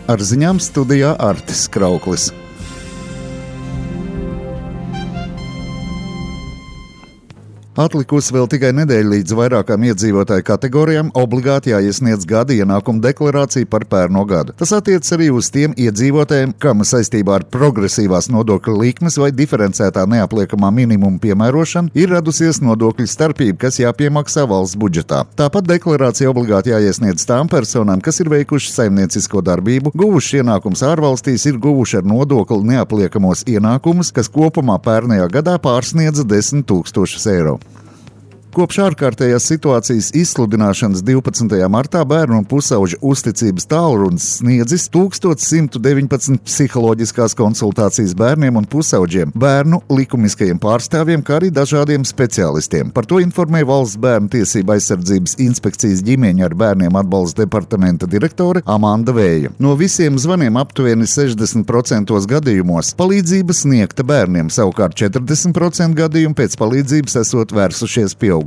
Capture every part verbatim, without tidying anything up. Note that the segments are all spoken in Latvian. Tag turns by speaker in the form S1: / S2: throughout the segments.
S1: Ar ziņām studijā Artis Krauklis. Atlikusi vēl tikai nedēļa līdz vairākām iedzīvotāju kategorijām obligāti jāiesniedz gada ienākuma deklarācija par pērno gadu. Tas attiecas arī uz tiem iedzīvotājiem, kam saistībā ar progresīvās nodokļu likmes vai diferencētā neapliekamā minimuma piemērošanu ir radusies nodokļu starpība, kas jāpiemaksā valsts budžetā. Tāpat deklarācija obligāti jāiesniedz tām personām, kas ir veikuši saimniecisko darbību, guvuši ienākums ārvalstīs, ir guvuši ar nodokli neapliekamos ienākumus, kas kopumā pērnajā gadā pārsniedza desmit tūkstošus eiro. Kopš ārkārtējās situācijas izsludināšanas divpadsmitajā martā bērnu un pusauģu uzticības tālrunis sniedzis tūkstoš simt deviņpadsmit psiholoģiskās konsultācijas bērniem un pusauģiem, bērnu likumiskajiem pārstāvjiem, kā arī dažādiem speciālistiem. Par to informēja Valsts bērnu tiesību aizsardzības inspekcijas ģimeņu ar bērniem atbalsta departamenta direktore Amanda Vēja. No visiem zvaniem aptuveni sešdesmit procentos gadījumos palīdzība sniegta bērniem, savukārt četrdesmit procenti gadījumu pēc palīdzības esot vērsušies pieaugušie.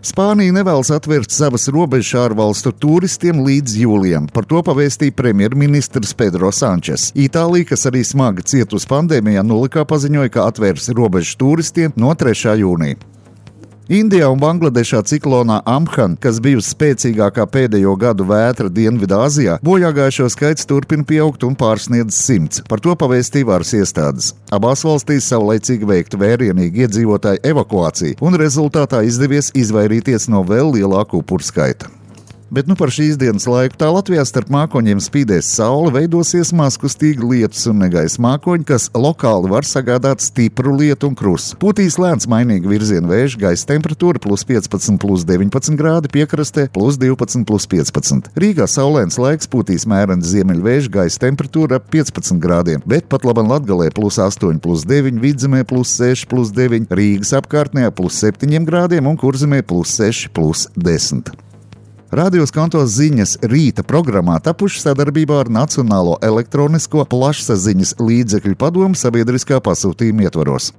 S1: Spānija nevēlas atvērt savas robežas ārvalstu turistiem līdz jūlijam. Par to pavēstīja premjerministrs Pedro Sančes. Itālija, kas arī smagi cietusi pandēmijā, nolikā paziņoja, ka atvērs robežas turistiem no trešā jūnija. Indijā un Bangladešā ciklonā Amphan, kas bijusi spēcīgākā pēdējo gadu vētra Dienvidāzijā, bojāgājušo skaits turpina pieaugt un pārsniedz simts. Par to pavēstīja varas iestādes. Abās valstīs savlaicīgi veikta vērienīga iedzīvotāju evakuācija, un rezultātā izdevies izvairīties no vēl lielāku upuru skaita. Bet nu par šīs dienas laiku tā Latvijā starp mākoņiem spīdēs saule, veidosies mazkustīgi lietus un negaisa mākoņi, kas lokāli var sagādāt stipru lietu un krusu. Pūtīs lēns mainīga virziena vējš, gaisa temperatūra plus piecpadsmit plus deviņpadsmit grādi, piekrastē plus divpadsmit plus piecpadsmit. Rīgā saulēns laiks, pūtīs mērens ziemeļvējš, gaisa temperatūra ap piecpadsmit grādiem, bet pat laban Latgalē plus astoņi plus deviņi, Vidzemē plus seši plus deviņi, Rīgas apkārtnē plus septiņi grādiem un Kurzemē plus seši plus desmit. Radio Skanto ziņas rīta programmā tapuši sadarbībā ar Nacionālo elektronisko plašsaziņas līdzekļu padomu sabiedriskā pasūtījuma ietvaros.